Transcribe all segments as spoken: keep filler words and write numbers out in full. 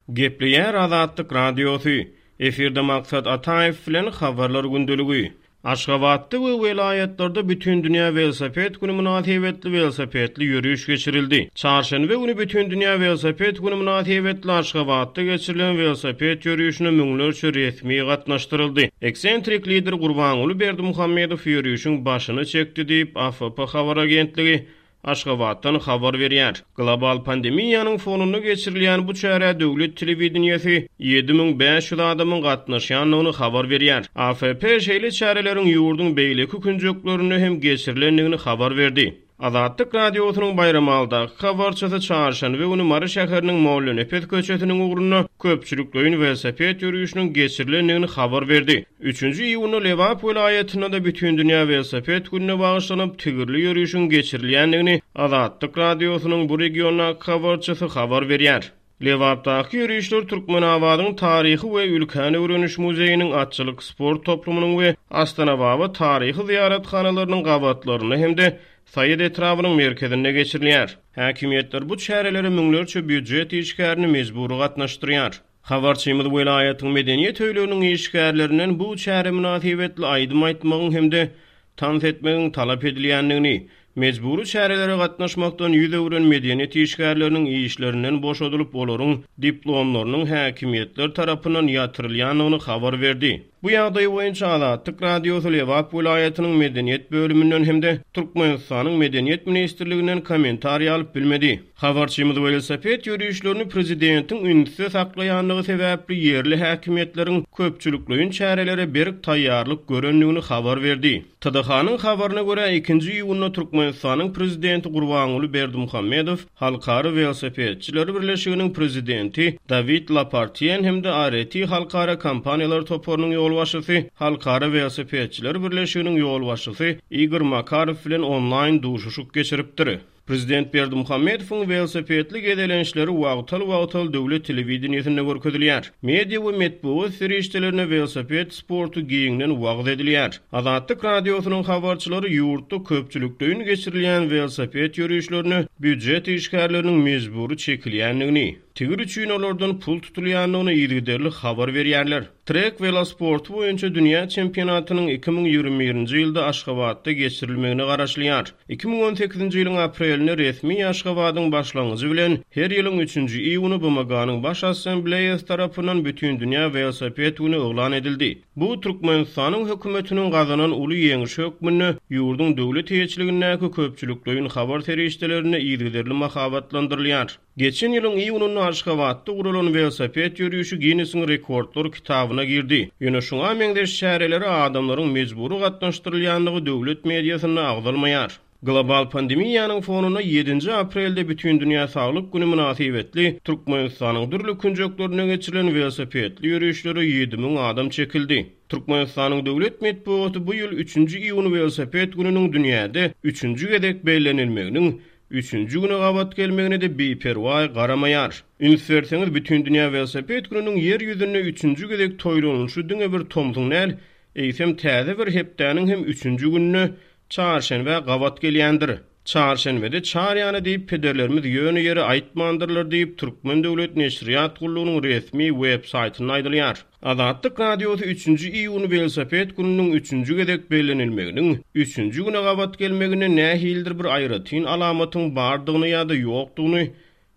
Gepleýär Azatlyk Radiosy. Efirde Maksat Ataýew bilen Habarlar gündeligi. Aşgabatda we welaýatlarda Bütindünýä welosiped güni mynasybetli welosipedli ýöriş geçirildi. Çarşenbe güni Bütindünýä welosiped güni mynasybetli Aşgabatda geçirilen welosiped ýörişine müňlerçe resmi gatnaşdyryldy. Eksentrik lider Gurbanguly Berdimuhamedow ýörişiň başyny çekdi diýip, A F P habar agentligi Aşgabatdan habar berýär. Global pandemiýanyň fonunda geçirilýän bu çärä döwlet telewideniýesi ýedi müň bäş ýüz adamyň gatnaşýandygyny habar berýär. A F P şeýle çäreleriň ýurduň beýleki künjeklerinde hem geçirilendigini habar berdi. Azatlyk Radiosynyň Baýramaldaky habarçysy çarşenbe güni Mary şäheriniň Mollanepes köçesiniň ugrunda köpçülikleýin welosiped ýörişiniň geçirilendigini habar berdi. Üçünji iýunda Lebap welaýatynda da Bütindünýä welosiped gününe bagyşlanyp tigirli ýörişiň geçirilýändigini Azatlyk Radiosynyň bu regiondaky habarçysy habar berýär. Lebapdaky ýörişler Türkmenabadyň taryhy we ülkäni öwreniş muzeýiniň atçylyk sport toplumynyň we Astanababa taryhy ziýarathanalarynyň gabatlarynda hem-de Saýat etrabynyň merkezinde geçirilýär. Häkimiýetler bu çärelere müňlerçe býujet işgärini mejbury gatnaşdyrýar. Habarçymyz welaýatyň medeniýet öýleriniň işgärlerinden bu çäre mynasybetli aýdym aýtmagyň hem-de tans etmegiň talap edilýändigini, mejbury çärelere gatnaşmakdan ýüz öwren medeniýet işgärleriniň işlerinden boşadylyp, olaryň diplomlarynyň häkimiýetler tarapyndan ýatyrylýandygyny habar berdi. Bu ýagdaý boýunça Azatlyk Radiosy Lebap welaýatynyň medeniýet bölüminden hem-de Türkmenistanyň Medeniýet Ministrliginden kommentariý alyp bilmedi. Habarçymyz welosiped ýörişlerini prezidentiň ünsde saklaýandygy sebäpli ýerli häkimiýetleriň köpçülikleýin çärelere berk taýýarlyk görendigini habar berdi. T D H-nyň habaryna görä ikinji iýunda Türkmenistanyň prezidenti Gurbanguly Berdimuhamedow Halkara welosipedçiler birleşiginiň prezidenti Dawid Lapartien hem-de A R T Halkara kompaniýalar toparynyň ýolbaşçysy Halkara welosipedçiler birleşiginiň ýolbaşçysy Igor Makarow bilen onlaýn duşuşyk geçiripdir. Prezident Berdimuhamedowyň welosipedli gezelençleri wagtal-wagtal döwlet telewideniýesinde görkezilýär. Media we metbugat serişdelerine welosiped sporty giňden wagyz edilýär. Azatlyk Radiosynyň habarçylary ýurtda köpçülikleýin geçirilýän welosiped ýörişlerine býujet işgärleriniň mejbury çekilýändigini, tigir üçin olardan pul tutulýandygyny yzygiderli habar berýärler. Trek welosporty boýunça dünýä çempionatynyň iki müň ýigrimi birinji ýylda Aşgabatda geçirilmegine garaşylýar. Iki müň on sekizinji ýylyň aprelinde resmi Aşgabadyň başlangyjy bilen her ýylyň üçünji iýuny B M G-nyň Baş Assambleýasy tarapyndan Bütindünýä welosiped güni yglan edildi. Bu Türkmenistanyň hökümetiniň gazanan uly ýeňişi hökmünde ýurduň döwlet eýeçiligindäki köpçülikleýin habar serişdelerinde yzygiderli mahabatlandyrylýar. Geçen ýylyň iýunynda Aşgabatda guralan welosiped ýörişi Guinnessiň rekordlar kitabyna girdi. Ýöne şuňa meňzeş çärelere adamlaryň mejbury gatnaşdyrylýandygy döwlet mediasynda agzalmaýar. Global pandemiýanyň fonunda ýedinji aprelde Bütindünýä saglyk güni mynasybetli Türkmenistanyň dürli künjeklerine geçirilen welosipedli ýörişlere ýedi müň adam çekildi. Türkmenistanyň döwlet metbugaty bu ýyl üçünji iýun welosiped gününiň dünýäde üçünji gezek bellenilmeginiň üçünji güne gabat gelmegine de biperwaý garamaýar. Üns berseňiz Bütindünýä welosiped gününiň ýer ýüzünde üçünji gezek toýlanylyşy diňe bir tomsuň däl, eýsem täze bir hepdäniň hem üçünji gününe çarşenbe gabat gelýändir. Çarşenbede çar ýana diýip pederlerimiz ýöne ýere aýtmandyrlar diýip Türkmen döwlet neşirýat gullugynyň resmi web saýtynda aýdylýar. Azatlyk Radiosy üçünji iýun welosiped gününiň üçünji gezek bellenilmeginiň üçünji güne gabat gelmegine nähilidir bir aýratyn alamatyň bardygyny ýa-da ýokdugyny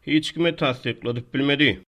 hiç kime tassykladyp bilmedi.